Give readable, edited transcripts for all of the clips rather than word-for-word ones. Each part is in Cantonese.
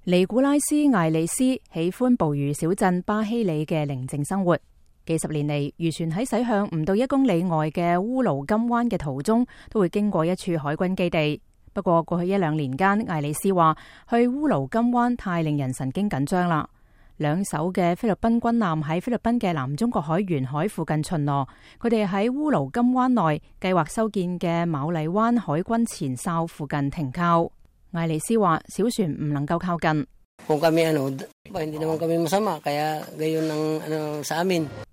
尼古拉斯·艾利斯喜歡捕魚小鎮巴希里嘅寧靜生活。幾十年嚟，漁船喺駛向唔到1公里外嘅烏盧金灣嘅途中，都會經過一處海軍基地。不過過去1-2年間，艾利斯話去烏盧金灣太令人神經緊張啦。2艘嘅菲律賓軍艦喺菲律賓嘅南中國海沿海附近巡邏，佢哋喺烏盧金灣內計劃修建嘅馬麗灣海軍前哨附近停靠。艾利斯話小船唔能夠靠近。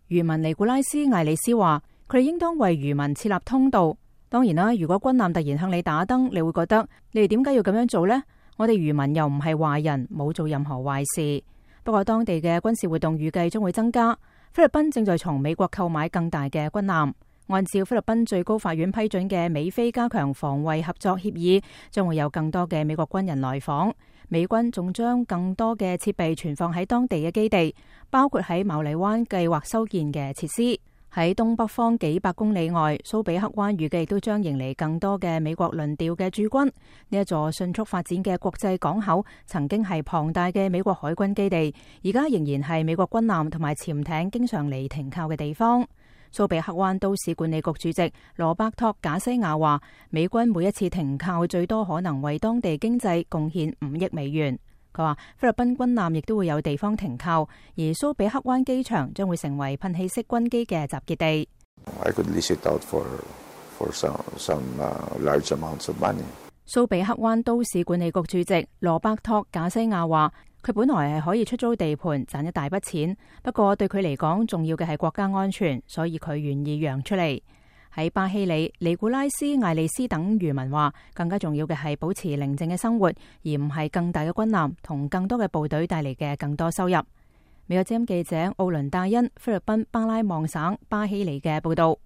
漁民尼古拉斯·艾利斯話佢哋應當為漁民設立通道。當然啦，如果軍艦突然向你打燈，你會覺得你哋點解要咁樣做呢？我哋漁民又唔係壞人，冇做任何壞事。不過當地嘅軍事活動預計將會增加。菲律賓正在從美國購買更大嘅軍艦。按照菲律賓最高法院批准嘅美菲加強防衛合作協議，將會有更多嘅美國軍人來訪。美軍仲將更多嘅設備存放喺當地嘅基地，包括喺馬麗灣計劃修建嘅設施。喺東北方幾百公里外，蘇比克灣預計都將迎嚟更多嘅美國輪調嘅駐軍。呢一座迅速發展嘅國際港口，曾經係龐大嘅美國海軍基地，而家仍然係美國軍艦同埋潛艇經常嚟停靠嘅地方。蘇比克灣都市管理局主席羅伯托·賈西亞話，美軍每一次停靠最多可能為當地經濟貢獻5億美元。佢話菲律賓軍艦亦都會有地方停靠，而蘇比克灣機場將會成為噴氣式軍機嘅集結地。蘇比克灣都市管理局主席羅伯托·賈西亞話，佢本來係可以出租地盤賺一大筆錢，不過對佢嚟講重要嘅係國家安全，所以佢願意讓出嚟。喺巴希里、尼古拉斯、艾利斯等漁民話，更加重要嘅係保持寧靜嘅生活，而唔係更大嘅軍艦同更多嘅部隊帶嚟嘅更多收入。美國之音記者奧倫戴恩，菲律賓巴拉望省巴希里嘅報道。